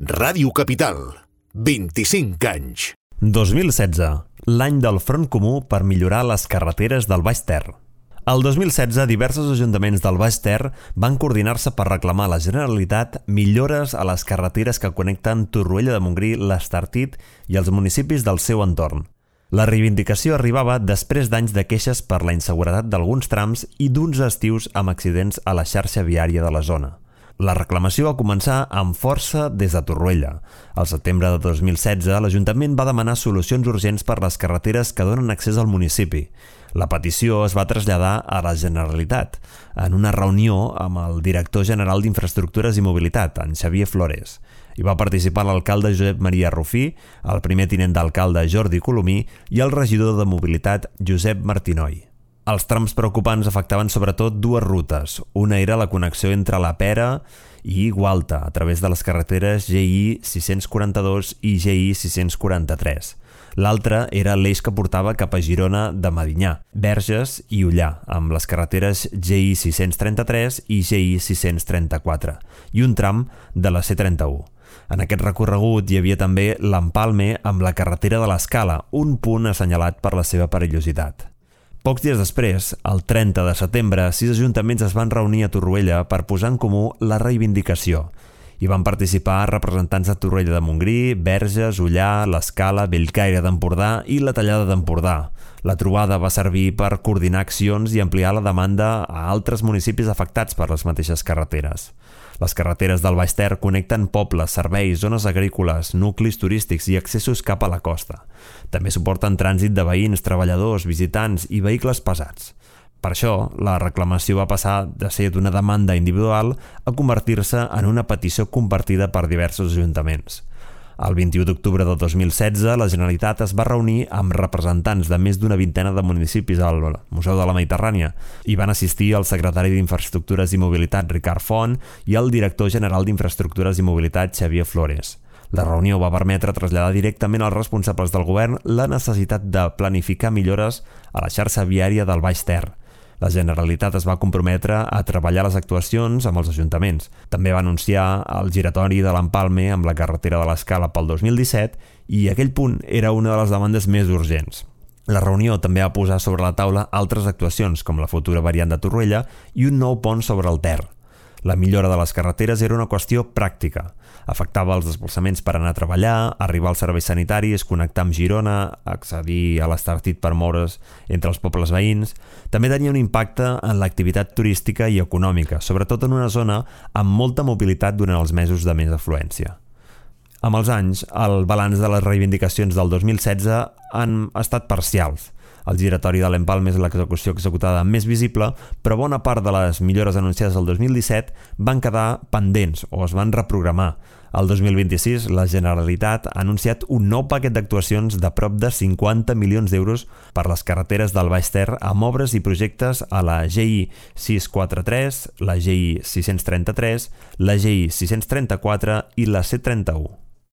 Ràdio Capital, 25 anys. 2016, l'any del Front Comú per millorar les carreteres del Baix Ter. El 2016, diversos ajuntaments del Baix Ter van coordinar-se per reclamar a la Generalitat millores a les carreteres que connecten Torroella de Montgrí, l'Estartit i els municipis del seu entorn. La reivindicació arribava després d'anys de queixes per la inseguretat d'alguns trams i d'uns estius amb accidents a la xarxa viària de la zona. La reclamació va començar amb força des de Torroella. Al setembre de 2016, l'Ajuntament va demanar solucions urgents per les carreteres que donen accés al municipi. La petició es va traslladar a la Generalitat en una reunió amb el director general d'Infraestructures i Mobilitat, en Xavier Flores. Hi va participar l'alcalde Josep Maria Rufí, el primer tinent d'alcalde Jordi Colomí i el regidor de Mobilitat Josep Martinoi. Els trams preocupants afectaven sobretot dues rutes. Una era la connexió entre la Pera i Gualta a través de les carreteres GI 642 i GI 643. L'altra era l'eix que portava cap a Girona de Medinyà, Verges i Ullà, amb les carreteres GI 633 i GI 634, i un tram de la C31. En aquest recorregut hi havia també l'Empalme amb la carretera de l'Escala, un punt assenyalat per la seva perillositat. Pocs dies després, el 30 de setembre, 6 ajuntaments es van reunir a Torroella per posar en comú la reivindicació. Hi van participar representants de Torroella de Montgrí, Verges, Ullà, l'Escala, Bellcaire d'Empordà i la Tallada d'Empordà. La trobada va servir per coordinar accions i ampliar la demanda a altres municipis afectats per les mateixes carreteres. Les carreteres del Baix Ter connecten pobles, serveis, zones agrícoles, nuclis turístics i accessos cap a la costa. També suporten trànsit de veïns, treballadors, visitants i vehicles pesats. Per això, la reclamació va passar de ser d'una demanda individual a convertir-se en una petició compartida per diversos ajuntaments. El 21 d'octubre de 2016, la Generalitat es va reunir amb representants de més d'una vintena de municipis al Museu de la Mediterrània. Hi van assistir el secretari d'Infraestructures i Mobilitat, Ricard Font, i el director general d'Infraestructures i Mobilitat, Xavier Flores. La reunió va permetre traslladar directament als responsables del govern la necessitat de planificar millores a la xarxa viària del Baix Ter. La Generalitat es va comprometre a treballar les actuacions amb els ajuntaments. També va anunciar el giratori de l'Empalme amb la carretera de l'Escala pel 2017 i aquell punt era una de les demandes més urgents. La reunió també va posar sobre la taula altres actuacions, com la futura variant de Torroella i un nou pont sobre el Ter. La millora de les carreteres era una qüestió pràctica. Afectava els desplaçaments per anar a treballar, arribar als serveis sanitaris, connectar amb Girona, accedir a l'Estartit per moure's entre els pobles veïns. També tenia un impacte en l'activitat turística i econòmica, sobretot en una zona amb molta mobilitat durant els mesos de més afluència. Amb els anys, el balanç de les reivindicacions del 2016 han estat parcials. El giratori de l'Empalme és l'execució executada més visible, però bona part de les millores anunciades el 2017 van quedar pendents o es van reprogramar. El 2026, la Generalitat ha anunciat un nou paquet d'actuacions de prop de 50 milions d'euros per les carreteres del Baix Ter amb obres i projectes a la GI 643, la GI 633, la GI 634 i la C31.